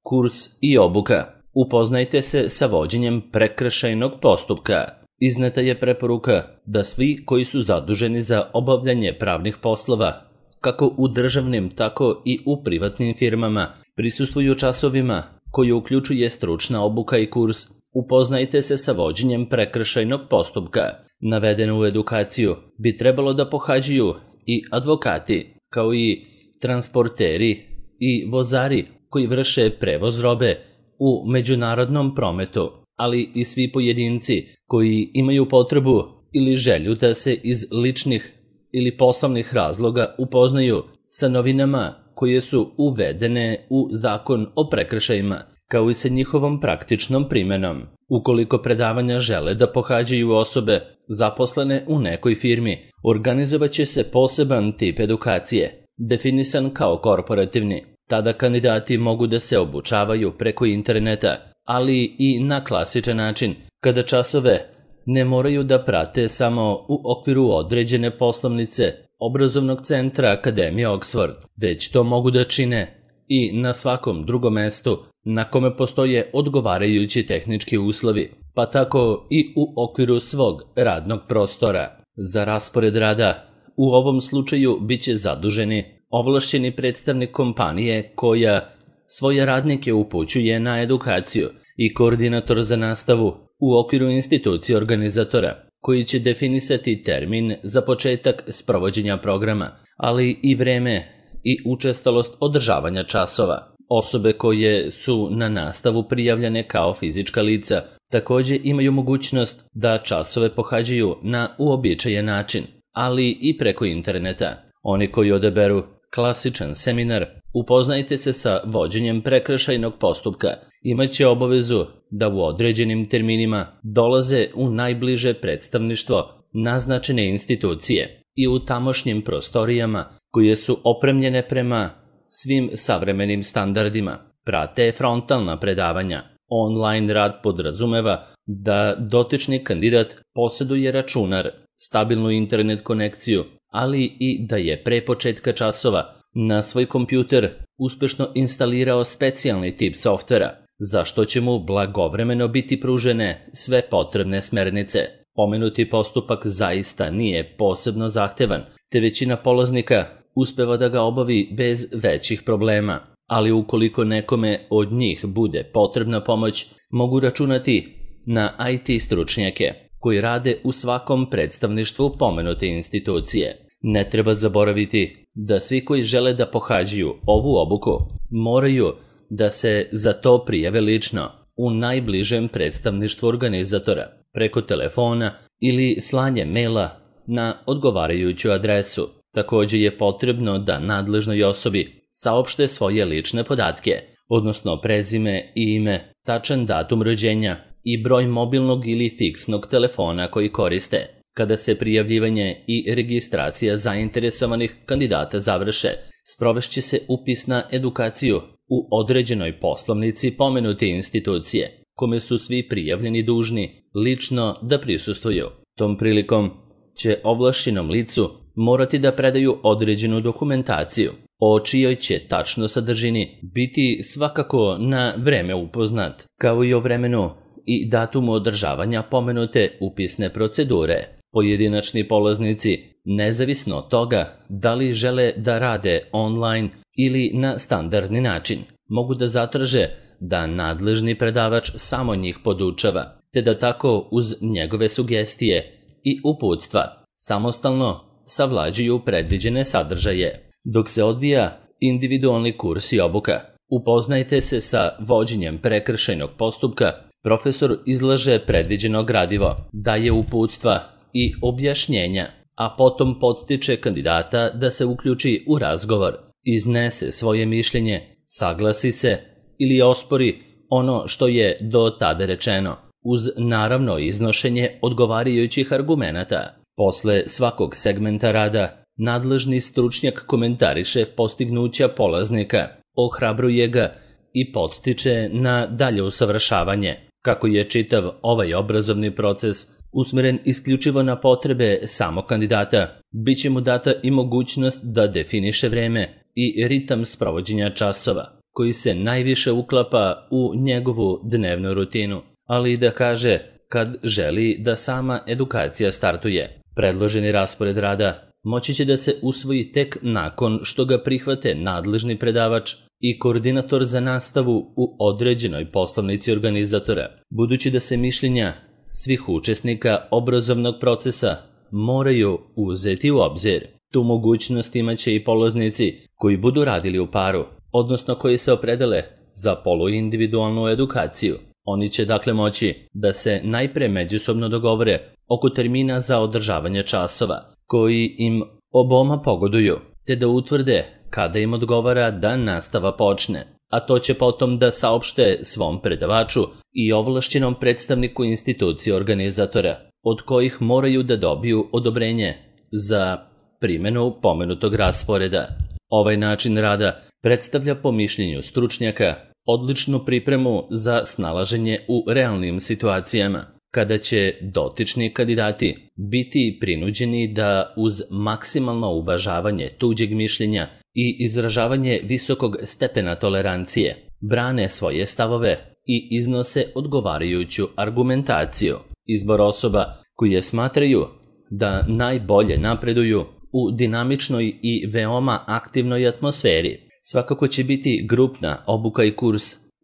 Kurs i obuka. Upoznajte se sa vođenjem prekršajnog postupka. Izneta je preporuka da svi koji su zaduženi za obavljanje pravnih poslova, kako u državnim, tako i u privatnim firmama, prisustvuju časovima koji uključuje stručna obuka i kurs Upoznajte se sa vođenjem prekršajnog postupka. Navedenu edukaciju bi trebalo da pohađaju i advokati, kao i transporteri i vozari koji vrše prevoz robe u međunarodnom prometu, ali i svi pojedinci koji imaju potrebu ili želju da se iz ličnih ili poslovnih razloga upoznaju sa novinama koje su uvedene u Zakon o prekršajima, kao i sa njihovom praktičnom primenom. Ukoliko predavanja žele da pohađaju osobe zaposlene u nekoj firmi, organizovaće se poseban tip edukacije, definisan kao korporativni. Tada kandidati mogu da se obučavaju preko interneta, ali i na klasičan način, kada časove ne moraju da prate samo u okviru određene poslovnice obrazovnog centra Akademije Oxford, već to mogu da čine i na svakom drugom mestu na kome postoje odgovarajući tehnički uslovi, pa tako i u okviru svog radnog prostora. Za raspored rada u ovom slučaju biće zaduženi ovlašćeni predstavnik kompanije koja svoje radnike upućuje na edukaciju i koordinator za nastavu u okviru institucije organizatora, koji će definisati termin za početak sprovođenja programa, ali i vreme i učestalost održavanja časova. Osobe koje su na nastavu prijavljene kao fizička lica takođe imaju mogućnost da časove pohađaju na uobičajen način, ali i preko interneta. Oni koji odaberu klasičan seminar Upoznajte se sa vođenjem prekršajnog postupka imaće obavezu da u određenim terminima dolaze u najbliže predstavništvo naznačene institucije i u tamošnjim prostorijama koje su opremljene prema svim savremenim standardima. Prate frontalna predavanja. Online rad podrazumeva da dotični kandidat poseduje računar, stabilnu internet konekciju, ali i da je pre početka časova na svoj kompjuter uspešno instalirao specijalni tip softvera, za što će mu blagovremeno biti pružene sve potrebne smernice. Pomenuti postupak zaista nije posebno zahtevan, te većina polaznika uspeva da ga obavi bez većih problema, ali ukoliko nekome od njih bude potrebna pomoć, mogu računati na IT stručnjake koji rade u svakom predstavništvu pomenute institucije. Ne treba zaboraviti da svi koji žele da pohađaju ovu obuku moraju da se za to prijave lično u najbližem predstavništvu organizatora, preko telefona ili slanje maila na odgovarajuću adresu. Takođe je potrebno da nadležnoj osobi saopšte svoje lične podatke, odnosno prezime i ime, tačan datum rođenja i broj mobilnog ili fiksnog telefona koji koriste. Kada se prijavljivanje i registracija zainteresovanih kandidata završe, sprovešće se upis na edukaciju u određenoj poslovnici pomenute institucije, kome su svi prijavljeni dužni lično da prisustvuju. Tom prilikom će ovlašćenom licu morati da predaju određenu dokumentaciju, o čijoj će tačno sadržini biti svakako na vreme upoznat, kao i o vremenu i datumu održavanja pomenute upisne procedure. Pojedinačni polaznici, nezavisno od toga da li žele da rade online ili na standardni način, mogu da zatraže da nadležni predavač samo njih podučava, te da tako uz njegove sugestije i uputstva samostalno savlađuju predviđene sadržaje. Dok se odvija individualni kurs i obuka, upoznajte se sa vođenjem prekršajnog postupka, profesor izlaže predviđeno gradivo, daje uputstva i objašnjenja, a potom podstiče kandidata da se uključi u razgovor, iznese svoje mišljenje, saglasi se ili ospori ono što je do tada rečeno, uz naravno iznošenje odgovarajućih argumenata. Posle svakog segmenta rada, nadležni stručnjak komentariše postignuća polaznika, ohrabruje ga i podstiče na dalje usavršavanje. Kako je čitav ovaj obrazovni proces usmeren isključivo na potrebe samog kandidata, biće mu data i mogućnost da definiše vreme i ritam sprovođenja časova, koji se najviše uklapa u njegovu dnevnu rutinu, ali i da kaže kad želi da sama edukacija startuje. Predloženi raspored rada moći će da se usvoji tek nakon što ga prihvate nadležni predavač i koordinator za nastavu u određenoj poslovnici organizatora, budući da se mišljenja svih učesnika obrazovnog procesa moraju uzeti u obzir. Tu mogućnost imaće i polaznici koji budu radili u paru, odnosno koji se opredele za poluindividualnu edukaciju. Oni će dakle moći da se najpre međusobno dogovore oko termina za održavanje časova, koji im oboma pogoduju, te da utvrde kada im odgovara da nastava počne, a to će potom da saopšte svom predavaču i ovlašćenom predstavniku institucije organizatora, od kojih moraju da dobiju odobrenje za primjenu pomenutog rasporeda. Ovaj način rada predstavlja po mišljenju stručnjaka odličnu pripremu za snalaženje u realnim situacijama, kada će dotični kandidati biti prinuđeni da uz maksimalno uvažavanje tuđeg mišljenja i izražavanje visokog stepena tolerancije brane svoje stavove i iznose odgovarajuću argumentaciju. Izbor osoba koje smatraju da najbolje napreduju u dinamičnoj i veoma aktivnoj atmosferi svakako će biti grupna obuka i kurs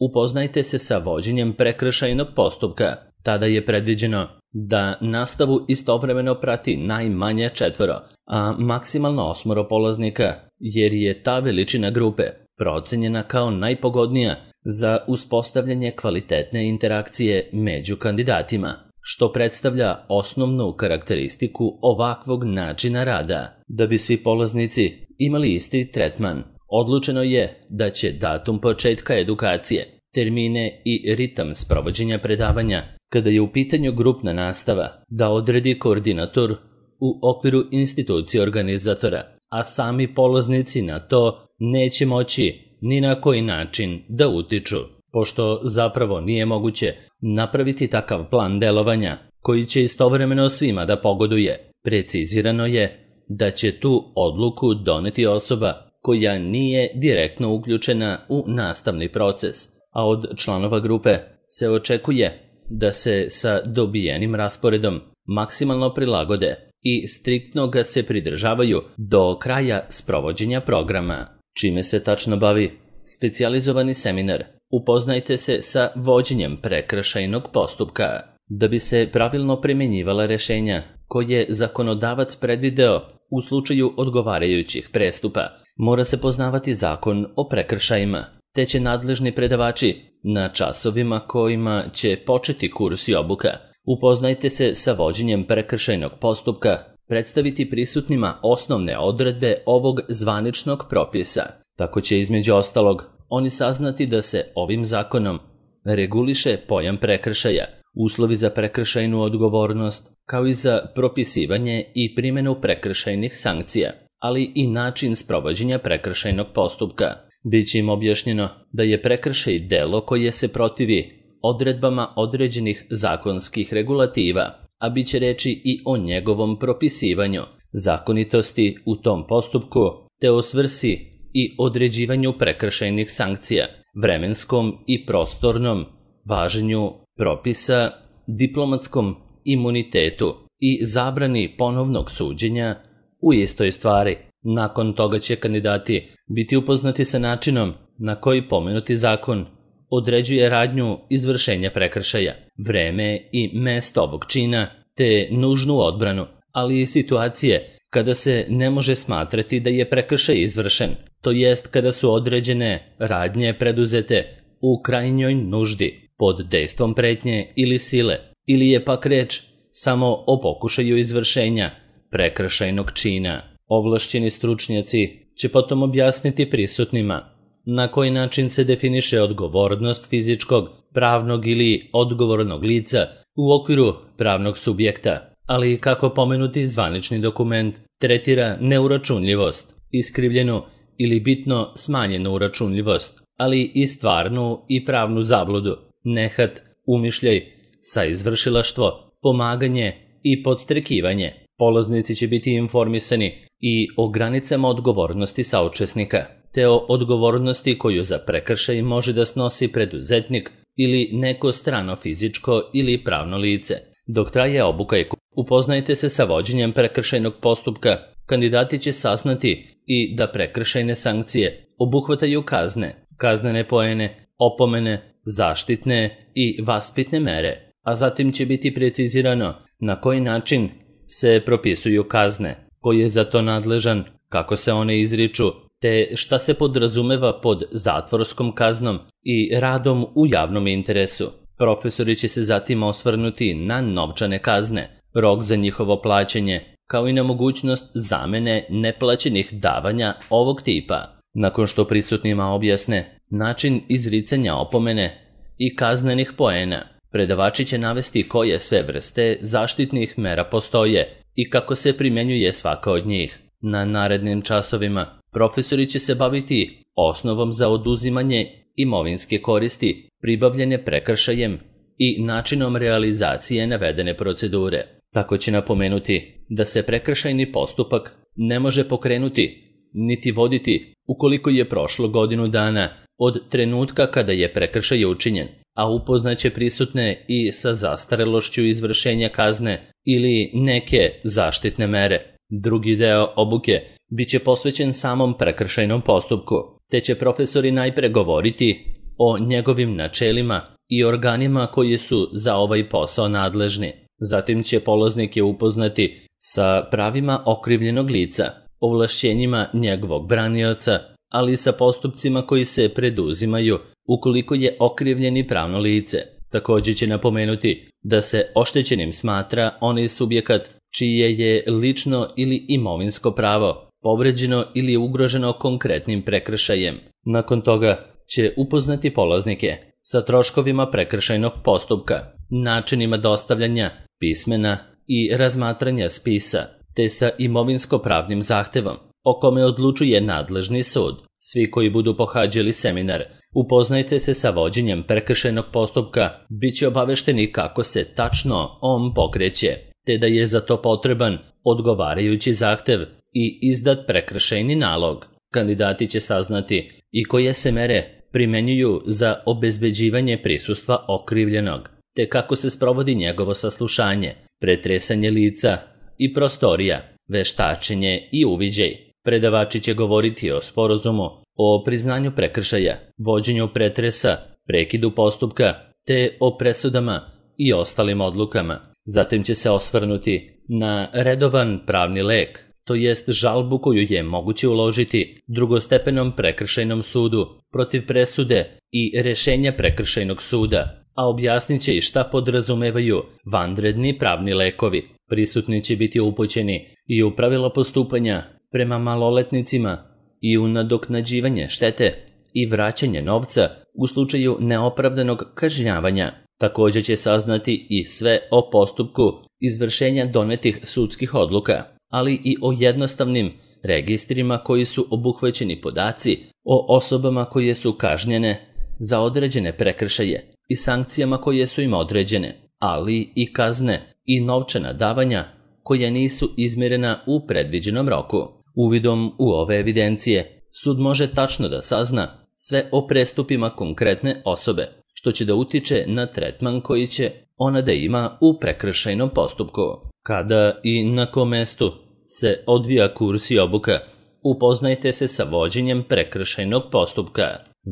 Upoznajte se sa vođenjem prekršajnog postupka. Tada je predviđeno da nastavu istovremeno prati najmanje 4, a maksimalno 8 polaznika, jer je ta veličina grupe procenjena kao najpogodnija za uspostavljanje kvalitetne interakcije među kandidatima, što predstavlja osnovnu karakteristiku ovakvog načina rada. Da bi svi polaznici imali isti tretman, odlučeno je da će datum početka edukacije, termine i ritam sprovođenja predavanja, kada je u pitanju grupna nastava, da odredi koordinator u okviru institucije organizatora, a sami polaznici na to neće moći ni na koji način da utiču, pošto zapravo nije moguće napraviti takav plan delovanja koji će istovremeno svima da pogoduje. Precizirano je da će tu odluku doneti osoba koja nije direktno uključena u nastavni proces, a od članova grupe se očekuje da se sa dobijenim rasporedom maksimalno prilagode i striktno ga se pridržavaju do kraja sprovođenja programa. Čime se tačno bavi specijalizovani seminar? Upoznajte se sa vođenjem prekršajnog postupka. Da bi se pravilno primjenjivala rešenja koje zakonodavac predvideo u slučaju odgovarajućih prestupa, mora se poznavati zakon o prekršajima, te će nadležni predavači na časovima kojima će početi kurs i obuka Upoznajte se sa vođenjem prekršajnog postupka, predstaviti prisutnima osnovne odredbe ovog zvaničnog propisa. Tako će između ostalog oni saznati da se ovim zakonom reguliše pojam prekršaja, uslovi za prekršajnu odgovornost, kao i za propisivanje i primjenu prekršajnih sankcija, ali i način sprovođenja prekršajnog postupka. Biće im objašnjeno da je prekršaj delo koje se protivi odredbama određenih zakonskih regulativa, a bit će reći i o njegovom propisivanju, zakonitosti u tom postupku, te o svrsi i određivanju prekršajnih sankcija, vremenskom i prostornom važenju propisa, diplomatskom imunitetu i zabrani ponovnog suđenja u istoj stvari. Nakon toga će kandidati biti upoznati sa načinom na koji pomenuti zakon određuje radnju izvršenja prekršaja, vreme i mesto ovog čina, te nužnu odbranu, ali i situacije kada se ne može smatrati da je prekršaj izvršen, to jest kada su određene radnje preduzete u krajnjoj nuždi, pod dejstvom pretnje ili sile, ili je pak reč samo o pokušaju izvršenja prekršajnog čina. Ovlašćeni stručnjaci će potom objasniti prisutnima na koji način se definiše odgovornost fizičkog, pravnog ili odgovornog lica u okviru pravnog subjekta, ali i kako pomenuti zvanični dokument tretira neuračunljivost, iskrivljenu ili bitno smanjenu uračunljivost, ali i stvarnu i pravnu zabludu, nehat, umišljaj, saizvršilaštvo, pomaganje i podstrekivanje. Polaznici će biti informisani i o granicama odgovornosti saučesnika, te o odgovornosti koju za prekršaj može da snosi preduzetnik ili neko strano fizičko ili pravno lice. Dok traje obuka i upoznajte se sa vođenjem prekršajnog postupka, kandidati će saznati i da prekršajne sankcije obuhvataju kazne, kaznene poene, opomene, zaštitne i vaspitne mere, a zatim će biti precizirano na koji način se propisuju kazne, ko je za to nadležan, kako se one izriču, te šta se podrazumeva pod zatvorskom kaznom i radom u javnom interesu. Profesori će se zatim osvrnuti na novčane kazne, rok za njihovo plaćanje, kao i na mogućnost zamene neplaćenih davanja ovog tipa. Nakon što prisutnima objasne način izricanja opomene i kaznenih poena, predavači će navesti koje sve vrste zaštitnih mera postoje i kako se primjenjuje svaka od njih. Na narednim časovima profesori će se baviti osnovom za oduzimanje imovinske koristi pribavljene prekršajem i načinom realizacije navedene procedure. Tako će napomenuti da se prekršajni postupak ne može pokrenuti niti voditi ukoliko je prošlo godinu dana od trenutka kada je prekršaj učinjen, a upoznaće prisutne i sa zastarelošću izvršenja kazne ili neke zaštitne mere. Drugi deo obuke biće posvećen samom prekršajnom postupku, te će profesori najpre govoriti o njegovim načelima i organima koji su za ovaj posao nadležni. Zatim će polaznike upoznati sa pravima okrivljenog lica, ovlašćenjima njegovog branioca, ali i sa postupcima koji se preduzimaju ukoliko je okrivljeni pravno lice. Također će napomenuti da se oštećenim smatra onaj subjekat čije je lično ili imovinsko pravo povređeno ili ugroženo konkretnim prekršajem. Nakon toga će upoznati polaznike sa troškovima prekršajnog postupka, načinima dostavljanja pismena i razmatranja spisa, te sa imovinsko-pravnim zahtevom, o kome odlučuje nadležni sud. Svi koji budu pohađali seminar, upoznajte se sa vođenjem prekršajnog postupka, bit će obavešteni kako se tačno on pokreće, te da je za to potreban odgovarajući zahtev i izdat prekršajni nalog. Kandidati će saznati i koje se mere primenjuju za obezbeđivanje prisustva okrivljenog, te kako se sprovodi njegovo saslušanje, pretresanje lica i prostorija, veštačenje i uviđaj. Predavači će govoriti o sporazumu, o priznanju prekršaja, vođenju pretresa, prekidu postupka, te o presudama i ostalim odlukama. Zatim će se osvrnuti na redovan pravni lek, to jest žalbu koju je moguće uložiti drugostepenom prekršajnom sudu protiv presude i rešenja prekršajnog suda, a objasnit će i šta podrazumevaju vanredni pravni lekovi. Prisutni će biti upućeni i u pravila postupanja prema maloletnicima i u nadoknađivanje štete i vraćanje novca u slučaju neopravdanog kažnjavanja. Također će saznati i sve o postupku izvršenja donetih sudskih odluka, ali i o jednostavnim registrima koji su obuhvaćeni podaci o osobama koje su kažnjene za određene prekršaje i sankcijama koje su im određene, ali i kazne i novčana davanja koja nisu izmjerena u predviđenom roku. Uvidom u ove evidencije, sud može tačno da sazna sve o prestupima konkretne osobe, što će da utiče na tretman koji će ona da ima u prekršajnom postupku. Kada i na kom mestu se odvija kurs i obuka, upoznajte se sa vođenjem prekršajnog postupka,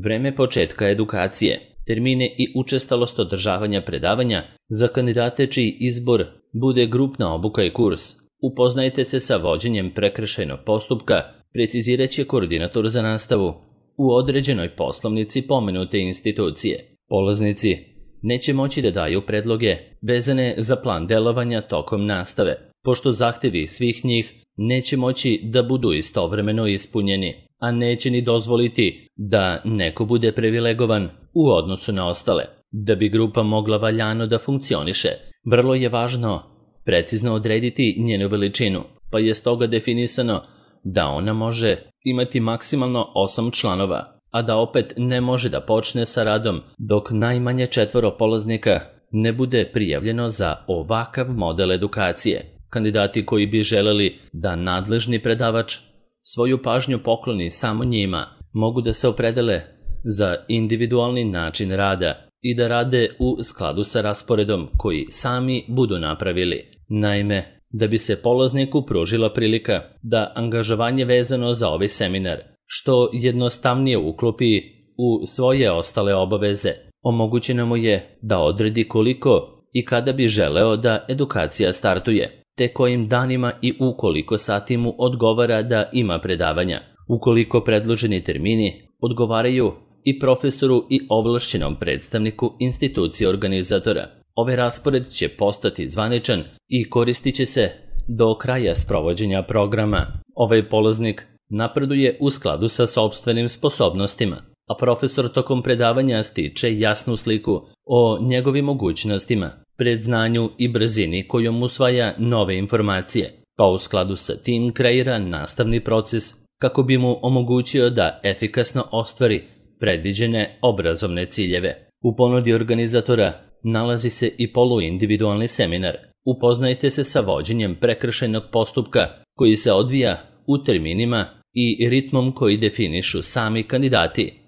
vreme početka edukacije, termine i učestalost održavanja predavanja za kandidate čiji izbor bude grupna obuka i kurs. Upoznajte se sa vođenjem prekršajnog postupka, precizirat će koordinator za nastavu u određenoj poslovnici pomenute institucije. Polaznici neće moći da daju predloge vezane za plan delovanja tokom nastave, pošto zahtevi svih njih neće moći da budu istovremeno ispunjeni, a neće ni dozvoliti da neko bude privilegovan u odnosu na ostale. Da bi grupa mogla valjano da funkcioniše, vrlo je važno precizno odrediti njenu veličinu, pa je stoga definisano da ona može imati maksimalno 8 članova, a da opet ne može da počne sa radom dok najmanje 4 polaznika ne bude prijavljeno za ovakav model edukacije. Kandidati koji bi želeli da nadležni predavač svoju pažnju pokloni samo njima, mogu da se opredele za individualni način rada i da rade u skladu sa rasporedom koji sami budu napravili. Naime, da bi se polazniku pružila prilika da angažovanje vezano za ovaj seminar što jednostavnije uklopi u svoje ostale obaveze, omogućeno mu je da odredi koliko i kada bi želeo da edukacija startuje, te kojim danima i u koliko sati mu odgovara da ima predavanja, ukoliko predloženi termini odgovaraju i profesoru i ovlašćenom predstavniku institucije organizatora. Ovaj raspored će postati zvaničan i koristit će se do kraja sprovođenja programa. Ovaj polaznik napreduje u skladu sa sopstvenim sposobnostima, a profesor tokom predavanja stiče jasnu sliku o njegovim mogućnostima, predznanju i brzini kojom usvaja nove informacije, pa u skladu sa tim kreira nastavni proces kako bi mu omogućio da efikasno ostvari predviđene obrazovne ciljeve. U ponudi organizatora nalazi se i poluindividualni seminar. Upoznajte se sa vođenjem prekršajnog postupka koji se odvija u terminima i ritmom koji definišu sami kandidati,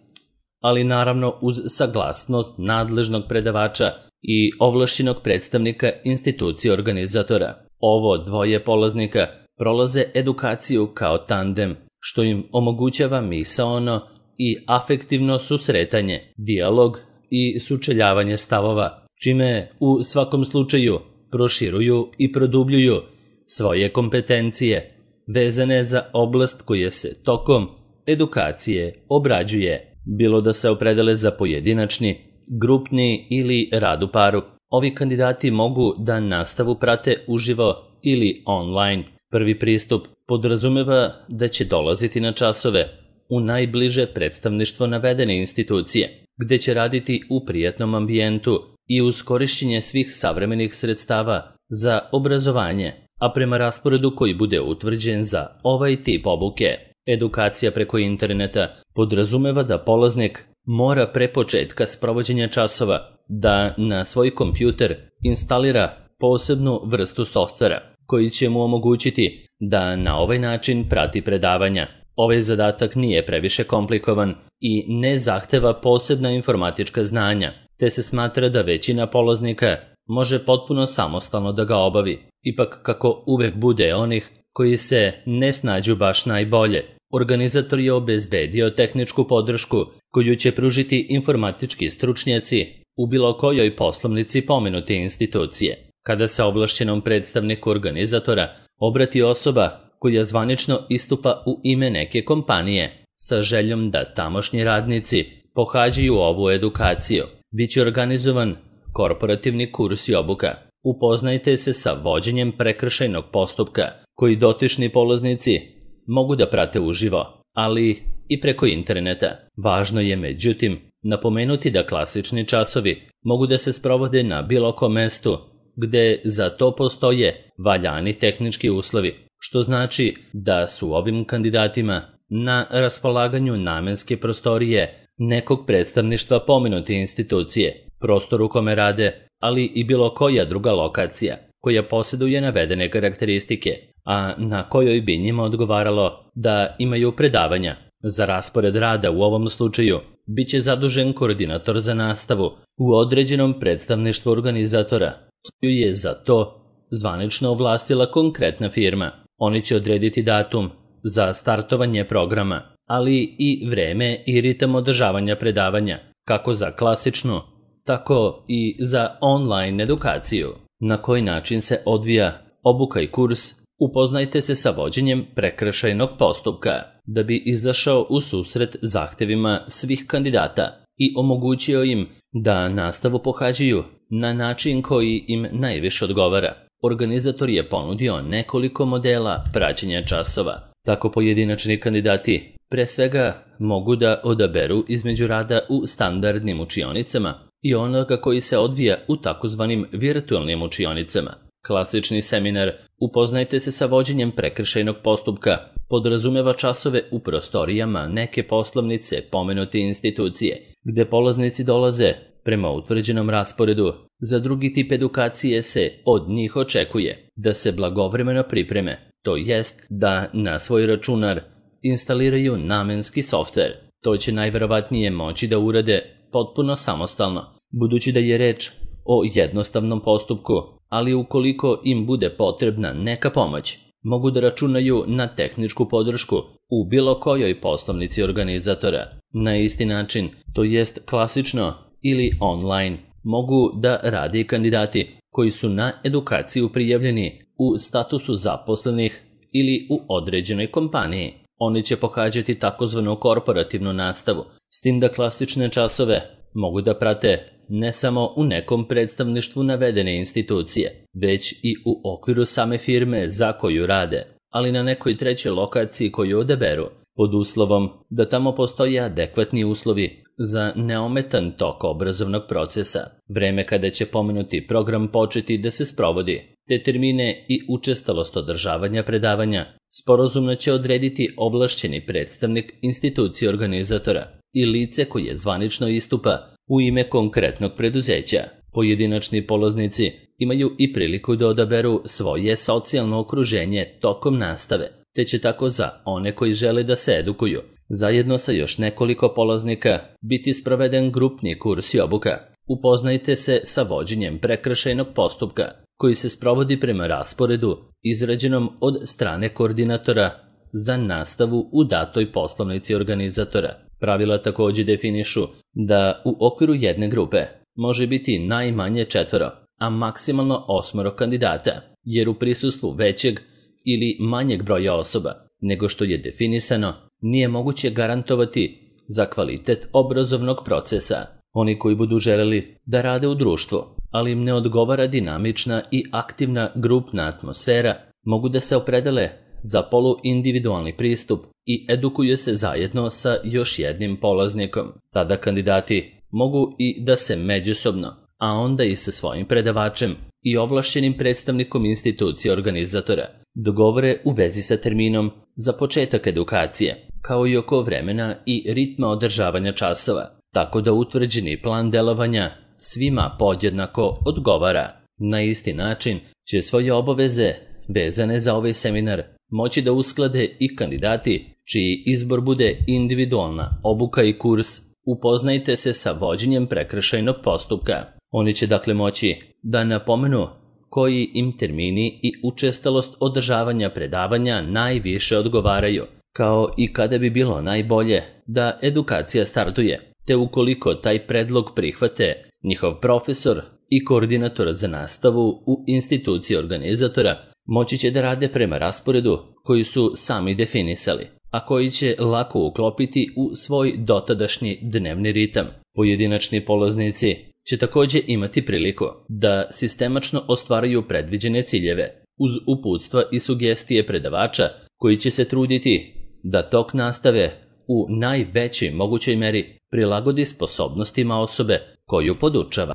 ali naravno uz saglasnost nadležnog predavača i ovlašćenog predstavnika institucije organizatora. Ovo dvoje polaznika prolaze edukaciju kao tandem, što im omogućava misaono i afektivno susretanje, dijalog i sučeljavanje stavova, čime u svakom slučaju proširuju i produbljuju svoje kompetencije vezane za oblast koja se tokom edukacije obrađuje, bilo da se opredele za pojedinačni, grupni ili rad u paru. Ovi kandidati mogu da nastavu prate uživo ili online. Prvi pristup podrazumeva da će dolaziti na časove u najbliže predstavništvo navedene institucije, gde će raditi u prijatnom ambijentu i uz korišćenje svih savremenih sredstava za obrazovanje, a prema rasporedu koji bude utvrđen za ovaj tip obuke. Edukacija preko interneta podrazumeva da polaznik mora pre početka sprovođenja časova da na svoj kompjuter instalira posebnu vrstu softvera koji će mu omogućiti da na ovaj način prati predavanja. Ovaj zadatak nije previše komplikovan i ne zahteva posebna informatička znanja, te se smatra da većina polaznika može potpuno samostalno da ga obavi. Ipak, kako uvek bude onih koji se ne snađu baš najbolje, organizator je obezbedio tehničku podršku koju će pružiti informatički stručnjaci u bilo kojoj poslovnici pomenute institucije. Kada se ovlašćenom predstavniku organizatora obrati osoba koja zvanično istupa u ime neke kompanije sa željom da tamošnji radnici pohađaju ovu edukaciju, biće organizovan korporativni kurs i obuka. Upoznajte se sa vođenjem prekršajnog postupka koji dotični polaznici mogu da prate uživo, ali i preko interneta. Važno je, međutim, napomenuti da klasični časovi mogu da se sprovode na bilo kom mestu gde za to postoje valjani tehnički uslovi, što znači da su ovim kandidatima na raspolaganju namenske prostorije nekog predstavništva pomenute institucije, prostor u kome rade, ali i bilo koja druga lokacija koja posjeduje navedene karakteristike, a na kojoj bi njima odgovaralo da imaju predavanja. Za raspored rada u ovom slučaju biće zadužen koordinator za nastavu u određenom predstavništvu organizatora, koju je za to zvanično ovlastila konkretna firma. Oni će odrediti datum za startovanje programa, ali i vreme i ritam održavanja predavanja, kako za klasičnu, tako i za online edukaciju. Na koji način se odvija obuka i kurs? Upoznajte se sa vođenjem prekršajnog postupka da bi izašao u susret zahtevima svih kandidata i omogućio im da nastavu pohađaju na način koji im najviše odgovara. Organizator je ponudio nekoliko modela praćenja časova. Tako pojedinačni kandidati pre svega mogu da odaberu između rada u standardnim učionicama i onoga koji se odvija u takozvanim virtualnim učionicama. Klasični seminar Upoznajte se sa vođenjem prekršajnog postupka podrazumeva časove u prostorijama neke poslovnice pomenute institucije, gde polaznici dolaze prema utvrđenom rasporedu. Za drugi tip edukacije se od njih očekuje da se blagovremeno pripreme, to jest da na svoj računar instaliraju namenski softver, to će najverovatnije moći da urade potpuno samostalno, budući da je reč o jednostavnom postupku, ali ukoliko im bude potrebna neka pomoć, mogu da računaju na tehničku podršku u bilo kojoj poslovnici organizatora. Na isti način, to jest klasično ili online, mogu da rade i kandidati koji su na edukaciju prijavljeni u statusu zaposlenih ili u određenoj kompaniji. Oni će pohađati takozvanu korporativnu nastavu, s tim da klasične časove mogu da prate ne samo u nekom predstavništvu navedene institucije, već i u okviru same firme za koju rade, ali na nekoj trećoj lokaciji koju odaberu, pod uslovom da tamo postoje adekvatni uslovi za neometan tok obrazovnog procesa, vreme kada će pomenuti program početi da se sprovodi, te termine i učestalost održavanja predavanja sporazumno će odrediti ovlašćeni predstavnik institucije organizatora i lice koje zvanično istupa u ime konkretnog preduzeća. Pojedinačni polaznici imaju i priliku da odaberu svoje socijalno okruženje tokom nastave, te će tako za one koji žele da se edukuju, zajedno sa još nekoliko polaznika, biti sproveden grupni kurs i obuka. Upoznajte se sa vođenjem prekršajnog postupka, koji se sprovodi prema rasporedu izrađenom od strane koordinatora za nastavu u datoj poslovnici organizatora. Pravila takođe definišu da u okviru jedne grupe može biti najmanje 4, a maksimalno 8 kandidata, jer u prisustvu većeg ili manjeg broja osoba nego što je definisano, nije moguće garantovati za kvalitet obrazovnog procesa. Oni koji budu želeli da rade u društvu, ali im ne odgovara dinamična i aktivna grupna atmosfera, mogu da se opredele za poluindividualni pristup i edukuju se zajedno sa još jednim polaznikom. Tada kandidati mogu i da se međusobno, a onda i sa svojim predavačem i ovlašćenim predstavnikom institucije organizatora dogovore u vezi sa terminom za početak edukacije, kao i oko vremena i ritma održavanja časova, tako da utvrđeni plan delovanja svima podjednako odgovara. Na isti način će svoje obaveze vezane za ovaj seminar moći da usklade i kandidati čiji izbor bude individualna obuka i kurs. Upoznajte se sa vođenjem prekršajnog postupka. Oni će dakle moći da napomenu koji im termini i učestalost održavanja predavanja najviše odgovaraju, kao i kada bi bilo najbolje da edukacija startuje, te ukoliko taj predlog prihvate njihov profesor i koordinator za nastavu u instituciji organizatora, moći će da rade prema rasporedu koji su sami definisali, a koji će lako uklopiti u svoj dotadašnji dnevni ritam. Pojedinačni polaznici će takođe imati priliku da sistemačno ostvaraju predviđene ciljeve, uz uputstva i sugestije predavača koji će se truditi da tok nastave u najvećoj mogućoj meri prilagodi sposobnostima osobe koju podučava.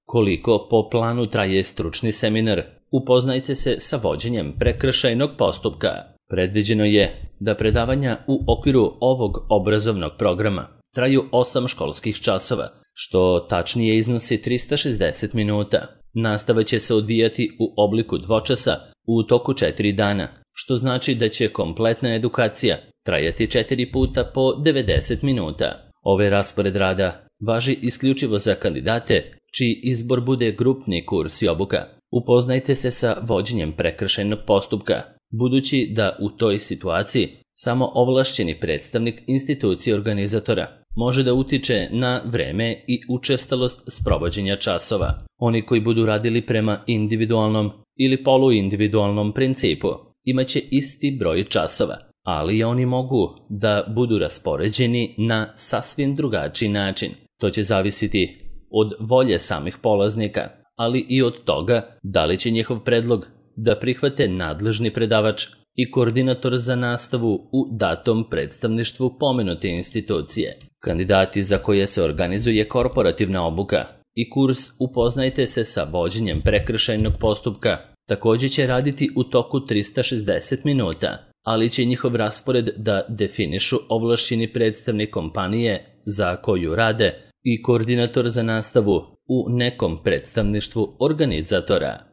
Koliko po planu traje stručni seminar? Upoznajte se sa vođenjem prekršajnog postupka. Predviđeno je da predavanja u okviru ovog obrazovnog programa traju 8 školskih časova, što tačnije iznosi 360 minuta. Nastava će se odvijati u obliku dvočasa u toku 4 dana, što znači da će kompletna edukacija trajati 4 puta po 90 minuta. Ovaj raspored rada važi isključivo za kandidate čiji izbor bude grupni kurs i obuka. Upoznajte se sa vođenjem prekršajnog postupka, budući da u toj situaciji samo ovlašćeni predstavnik institucije organizatora može da utiče na vreme i učestalost sprovođenja časova. Oni koji budu radili prema individualnom ili poluindividualnom principu imaće isti broj časova, ali oni mogu da budu raspoređeni na sasvim drugačiji način. To će zavisiti od volje samih polaznika, ali i od toga da li će njihov predlog da prihvate nadležni predavač i koordinator za nastavu u datom predstavništvu pomenute institucije. Kandidati za koje se organizuje korporativna obuka i kurs Upoznajte se sa vođenjem prekršajnog postupka takođe će raditi u toku 360 minuta, ali će njihov raspored da definišu ovlašćeni predstavnik kompanije za koju rade i koordinator za nastavu u nekom predstavništvu organizatora.